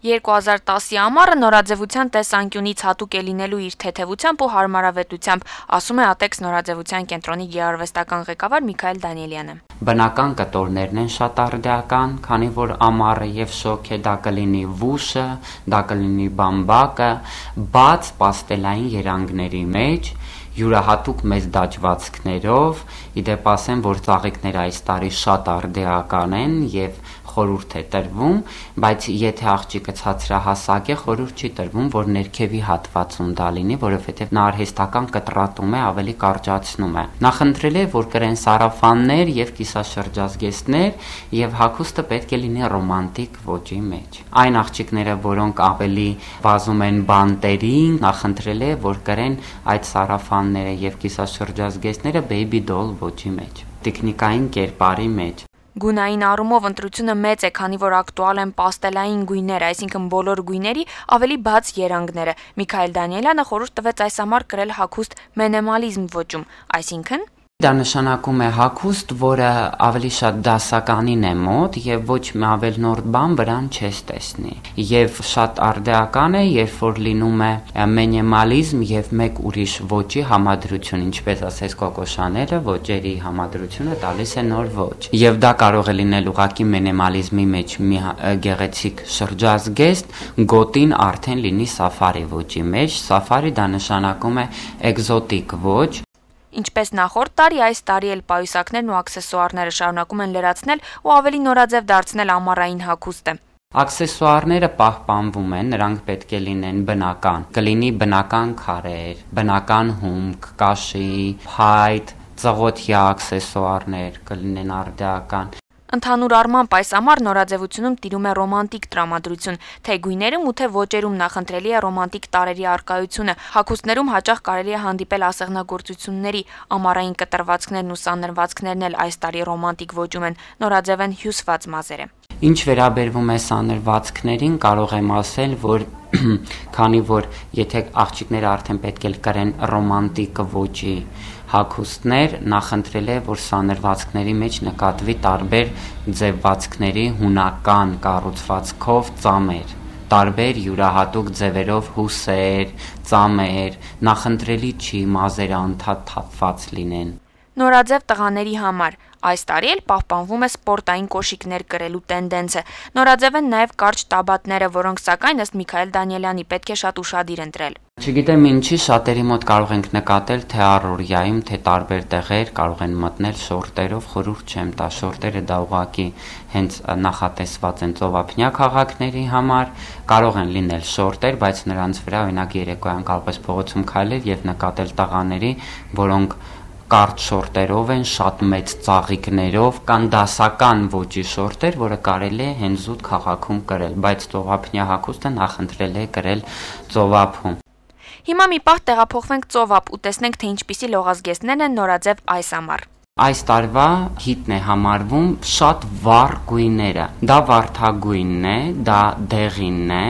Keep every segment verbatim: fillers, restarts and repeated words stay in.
երկու հազար տասի ամառը նորաձևության տեսանկյունից հատուկ է լինելու իր թեթևությամբ ու հարմարավետությամբ, ասում է Ատեքս նորաձևության կենտրոնի գեղարվեստական ղեկավար Միքայել Դանիելյանը։ Բնական կտորներն են շատ արդիական, քանի որ ամառը եւ շոգ է, դա կլինի վուշը, դա կլինի բամբակը, բաց պաստելային երանգների մեջ, յուրահատուկ մեծ դաջվածքներով, իդեպ ասեմ, որ ծաղիկները այս տարի շատ արդիական են եւ խորհուրդ է տրվում, բայց եթե աղջիկը ցածրահասակ է, խորհուրդ չի տրվում, որ ներքևի հատվածում դա լինի, որովհետեւ նա արհեստական կտրատում է, ավելի կարճացնում է։ Նախընտրել է, որ կրեն սարաֆաններ եւ կիսաշրջազգեստներ եւ հագուստը պետք է լինի ռոմանտիկ ոճի մեջ։ Այն աղջիկները, որոնք ավելի վազում են բանտերին, նախընտրել է, որ կրեն այդ սարաֆանները եւ կիսաշրջազգեստները baby doll ոճի մեջ, տեխնիկային կերպարի մեջ։ Գունային առումով ընտրությունը մեծ է, քանի որ ակտուալ են պաստելային գույները, այսինքն բոլոր գույների ավելի բաց երանգները։ Միքայել Դանիելյանը խորհուրդ տվեց այս ամառ կրել հագուստ մենեմալիզմ ոճում, այսինքն Դա նշանակում է հագուստ, որը ավելի շատ դասականին է մոտ եւ ոչ մի ավելնորդ բան վրան չես տեսնի։ Եվ շատ արդիական է, երբ որ լինում է մենեմալիզմ եւ մեկ ուրիշ ոճի համադրություն, ինչպես ասես Կոկո Շանելը, ոճերի համադրությունը տալիս է նոր ոճ։ Եվ դա կարող է լինել ուղղակի մենեմալիզմի մեջ մի գեղեցիկ շրջազգեստ, գոտին արդեն լինի սաֆարի ոճի մեջ։ Սաֆարի դա նշանակում է էկզոտիկ ոճ։ Ինչպես նախորդ տարի, այս տարի էլ պայուսակներն ու աքսեսուարները շարունակում են լրացնել ու ավելի նորաձև դարձնել ամառային հագուստը։ Աքսեսուարները պահպանվում են, նրանք պետք է լինեն բնական։ Կլինի բնական քարեր, բնական հումք, կաշի, փայտ, ծղոտյա աքսեսուարներ, կլինեն արդիական։ Ընդհանուր առմամբ այս ամառ նորաձևությունում տիրում է ռոմանտիկ տրամադրություն, թե գույներում ու թե ոճերում նախընտրելի է ռոմանտիկ տարրերի առկայությունը, հագուստներում հաճախ կարելի է հանդիպել ասեղնագործությունների, ամառային կտրվածքներն ու սանրվածքներն էլ այս տարի ռոմանտիկ ոճում են, նորաձև են հյուսված մազերը։ Ինչ վերաբերվում է սանրվածքներին, կարող եմ ասել, որ քանի որ եթե աղջիկները արդեն պետք է կրեն ռոմանտիկ ոճի հագուստներ, նախընտրել է, որ սանրվածքների մեջ նկատվի տարբեր ձևվածքների հունական կառուցվածքով ծամեր, տարբեր յուրահատուկ ձևերով հուսեր, ծամեր, նախընտրելի չի մազերը անդադ թափված լինեն։ Նորաձև տղաների համար այս տարի էլ պահպանվում է սպորտային կոշիկներ կրելու տենդենսը։ Նորաձև են նաև կարճ տաբատները, որոնք սակայն ըստ Միքայել Դանիելյանի պետք է շատ ուշադիր ընտրել։ Չգիտեմ ինչի, շատերի մոտ կարող ենք նկատել, թե առօրյայում, թե տարբեր տեղեր կարող են մտնել շորտերով, խորհուրդ չեմ տա, շորտերը դա ուղղակի հենց նախատեսված են ծովափնյա քաղաքների համար, կարող են լինել շորտեր, բայց նրանց վրա օրինակ երեկոյան կարող ես փողոցում քայլել եւ նկատել տղաների, որոնք կարճ շորտերով են, շատ մեծ ծաղիկներով, կան դասական ոճի շորտեր, որը կարելի է հենց զուտ քաղաքում կրել, բայց ծովափնյա հագուստը նախընտրել է կրել ծովափում։ Հիմա մի պահ տեղափոխվենք ծովափ ու տեսնենք, թե ինչպիսի լողազգեստներն են նորաձև այս ամառ։ Այս տարվա հիտն է համարվում շատ վառ գույները։ Դա վարդագույնն է, դա դեղինն է,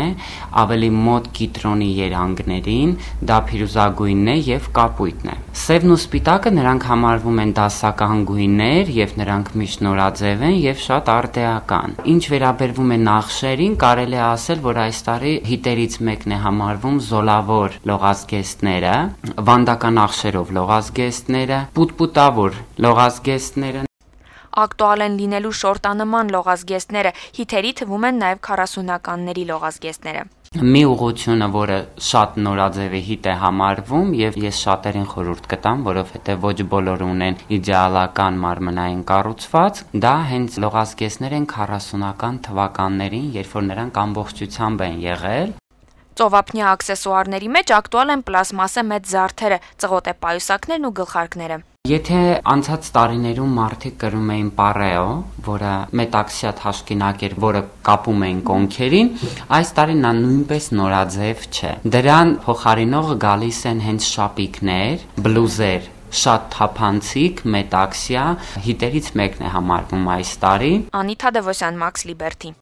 ավելի մոտ կիտրոնի երանգներին, դա փիրուզագույնն է եւ կապույտն է։ Սևն ու սպիտակը նրանք համարվում են դասական գույներ եւ նրանք միշտ նորաձև են եւ շատ արդիական։ Ինչ վերաբերվում է նախշերին, կարելի է ասել, որ այս տարի հիտերից մեկն է համարվում զոլավոր լողազգեստները, վանդական նախշերով լողազգեստները, պուտպուտավոր լողազգեստները։ Ակտուալ են լինելու շորտանման լողազգեստները, հիթերի թվում են նաև քառասունականների լողազգեստները։ Մի ուղղությունը, որը շատ նորաձև է հիտ է համարվում եւ ես շատերին խորհուրդ կտամ, որովհետեւ ոչ բոլորը ունեն իդեալական մարմնային կառուցվածք, դա հենց լողազգեստներ են քառասունական թվականներին, երբ որ նրանք ամբողջությամբ են եղել։ Ծովափնյա աքսեսուարների մեջ ակտուալ են պլաստմասե մեծ զարդերը, ծղոտե պայուսակներն ու գլխարկները։ Եթե անցած տարիներում մարդիկ կրում էին պարեո, որը մետաքսյա թաշկինակ էր, որը կապում էին կոնքերին, այս տարի նա նույնպես նորաձև չէ։ Դրան փոխարինող գալիս են հենց շապիկներ, բլուզեր, շատ թափանցիկ, մետաքսյա, հիտերից մեկն է համարվում այս տարի։ Անիթա Դևոսյան, Մաքս Լիբերթի։